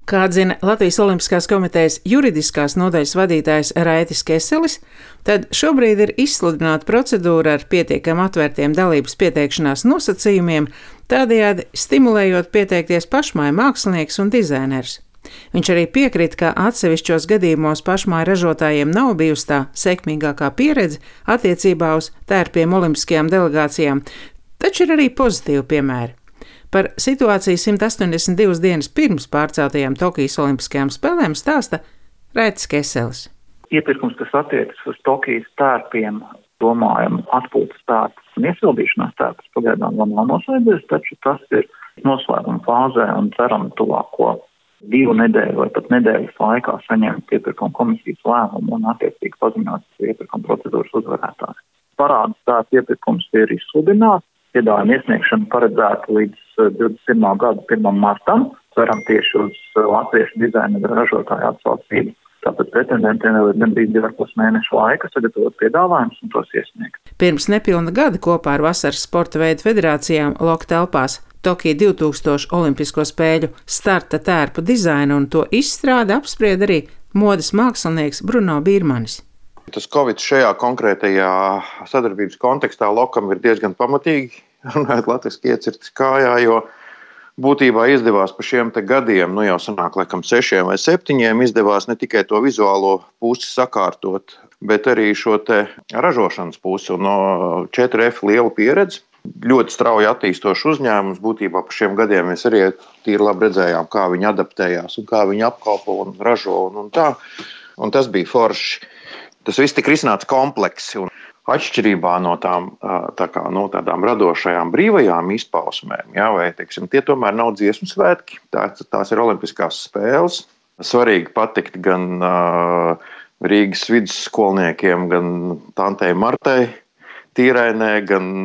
Kā atzina Latvijas Olimpiskās komitejas juridiskās nodaļas vadītājs Raitis Keselis, tad šobrīd ir izsludināta procedūra ar pietiekami atvērtiem dalības pieteikšanās nosacījumiem, tādējādi stimulējot pieteikties pašmāju mākslinieks un dizainers. Viņš arī piekrita, ka atsevišķos gadījumos pašmāju ražotājiem nav bijusi tā sekmīgākā pieredze attiecībā uz tērpiem olimpiskajām delegācijām, taču ir arī pozitīvi piemēri. Par situāciju 182 dienas pirms pārceltajām Tokijas Olimpiskajām spēlēm stāsta Raitis Keselis. Iepirkums, kas attiecas uz Tokijas tērpiem, domājam atpūtas tērpus un iesildīšanās tērpus, pagaidām vēl nav noslēdzies, taču tas ir noslēguma fāzē un ceram tuvāko 2 nedēļu vai pat nedēļas laikā saņemt iepirkuma komisijas lēmumu un attiecīgi paziņot iepirkuma procedūras uzvarētājs. Parādas tērpu iepirkums ir izsludināts. Piedāvājuma iesniegšana paredzēta līdz 21. gada 1. martam. Ceram tieši uz latviešu dizaineru ražotāju atsaucību. Tāpad pretendentiem vēl ir gandrīz 2,5 mēnešu laika sagatavot piedāvājumus un tos iesniegt. Pirms nepilna gada kopā ar Vasaras sporta veidu federācijām Loka telpās Tokija 2000 Olimpisko spēļu starta tērpu dizainu un to izstrādi apspried arī modes mākslinieks Bruno Birmanis. Tas Covid šajā konkrētajā sadarbības kontekstā Lokam ir diezgan pamatīgi, runājot latviski iecirtis kājā, jo būtībā izdevās pa šiem te gadiem, jau sanāk laikam 6 vai 7, izdevās ne tikai to vizuālo pusi sakārtot, bet arī šo te ražošanas pusi un no 4F lielu pieredzi. Ļoti strauji attīstošs uzņēmums, būtībā pa šiem gadiem mēs arī tīri labi redzējām, kā viņi adaptējās un kā viņi apkalpo un ražo un tā. Un tas bija forši. Tas viss tika risināts kompleksi un atšķirībā no tādām radošajām brīvajām izpausmēm, vai, teiksim, tie tomēr nav dziesmu svētki, tās ir olimpiskās spēles. Svarīgi patikt gan Rīgas vidusskolniekiem, gan tantei Martei Tīrainē, gan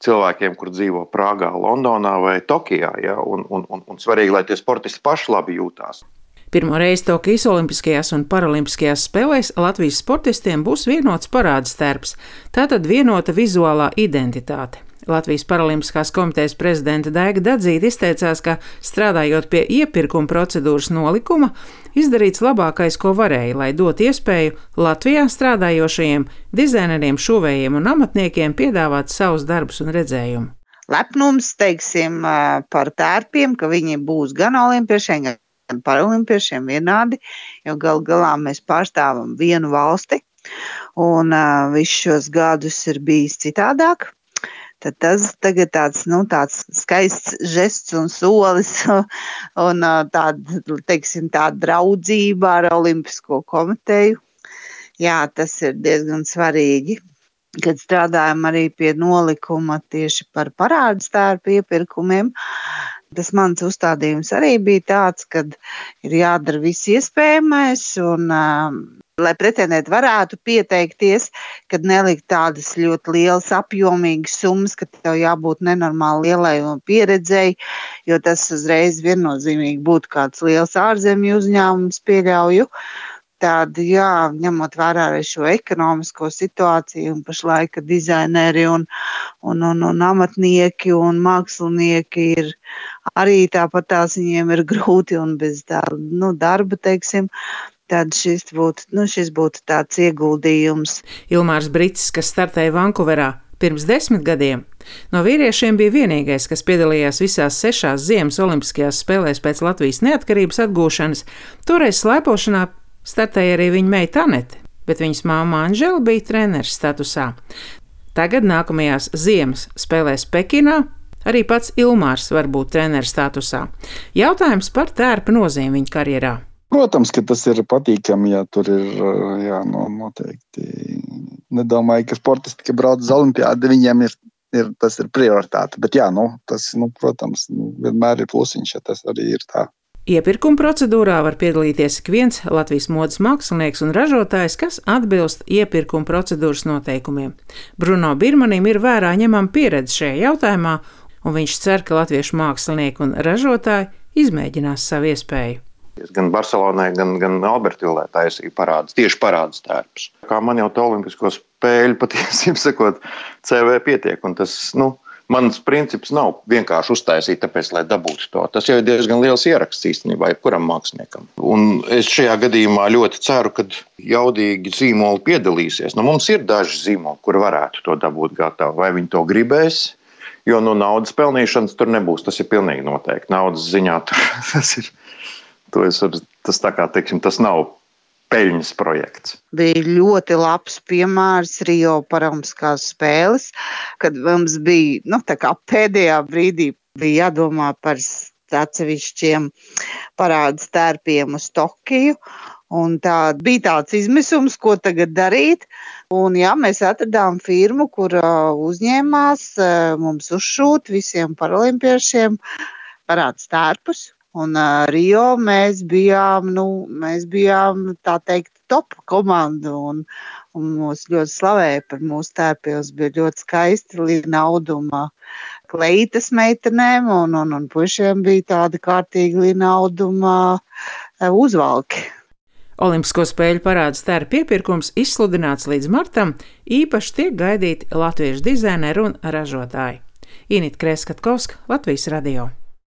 cilvēkiem, kur dzīvo Prāgā, Londonā vai Tokijā, un svarīgi, lai tie sportisti paši labi jūtās. Pirmo reizi Tokijas Olimpiskajās un Paralimpiskajās spēlēs Latvijas sportistiem būs vienots parādas tērps, tātad vienota vizuālā identitāte. Latvijas Paralimpiskās komitejas prezidente Daiga Dadzīte izteicās, ka strādājot pie iepirkuma procedūras nolikuma, izdarīts labākais, ko varēja, lai dotu iespēju Latvijā strādājošajiem dizaineriem, šuvējiem un amatniekiem piedāvāt savus darbus un redzējumu. Lepnums, teiksim, par tērpiem, ka viņi būs gan olimpiešiem, gan paralimpiešiem vienādi, jo galā mēs pārstāvam vienu valsti un visus šos gadus ir bijis citādāk. Tad tas tagad tāds skaists žests un solis un tāda draudzība ar Olimpisko komiteju. Jā, tas ir diezgan svarīgi, kad strādājam arī pie nolikuma tieši par parādas tērpu iepirkumiem. Tas mans uzstādījums arī bija tāds, ka ir jādara viss iespējamais un, lai pretendenti varētu pieteikties, kad nelikt tādas ļoti lielas apjomīgas summas, ka tev jābūt nenormāli lielai pieredzei, jo tas uzreiz viennozīmīgi būtu kāds liels ārzemju uzņēmums, pieļauju. Tāda, ņemot vērā arī šo ekonomisko situāciju un pašlaika dizaineri un amatnieki un mākslinieki ir arī tāpatās viņiem ir grūti un bez darba, teiksim, tad šis būtu tāds ieguldījums. Ilmārs Brits, kas startēja Vankuverā pirms 10 gadiem, no vīriešiem bija vienīgais, kas piedalījās visās 6 ziemas olimpiskajās spēlēs pēc Latvijas neatkarības atgūšanas, toreiz slēpošanā startēja arī viņa meita Anete, bet viņas māma Anžela bija treneris statusā. Tagad nākamajās ziemas spēlēs Pekinā arī pats Ilmārs var būt treneris statusā. Jautājums par tērpa nozīmi viņa karjerā. Protams, ka tas ir patīkami, ja tur ir, noteikti. Nedomāju, ka sportisti, ka brauc uz olimpiādi, viņiem tas ir prioritāte, bet tas, protams, vienmēr ir plusiņš, ja tas arī ir tā. Iepirkuma procedūrā var piedalīties ik viens Latvijas modes mākslinieks un ražotājs, kas atbilst iepirkuma procedūras noteikumiem. Bruno Birmanim ir vērā ņemama pieredze šajā jautājumā, un viņš cer, ka latviešu mākslinieki un ražotāji izmēģinās savu iespēju. Gan Barcelonai, gan Albertvillē taisīja tieši parādas tērpus. Kā man jau to olimpisko spēļu patiesībā sakot, CV pietiek, un tas, Mans princips nav vienkārši uztaisīt, tāpēc, lai dabūtu to. Tas jau ir diezgan liels ieraksts īstenībā jebkuram māksliniekam. Un es šajā gadījumā ļoti ceru, ka jaudīgi zīmoli piedalīsies. Mums ir daži zīmoli, kur varētu to dabūt gatavu. Vai viņi to gribēs? Jo naudas pelnīšanas tur nebūs. Tas ir pilnīgi noteikti. Naudas ziņā tas nav peļņas projekts. Bija ļoti labs piemērs Rio Paralimpiskās spēles, kad mums bija, pēdējā brīdī bija jādomā par atsevišķiem parādes tērpiem uz Tokiju. Un bija tāds izmisums, ko tagad darīt. Un mēs atradām firmu, kur uzņēmās mums uzšūt visiem paralimpiešiem parādes tērpus. Un Rio mēs bijām tā teikt top komanda un mūs ļoti slavēja par mūsu tērpiem. Bija ļoti skaisti līnauduma kleitas meitenēm un puišiem bija tādi kārtīgi līnauduma uzvalki. Olimpisko spēļu parādes tērpu iepirkums izsludināts līdz martam, īpaši tiek gaidīti latviešu dizaineri un ražotāji. Inita Krēskatkovska, Latvijas radio.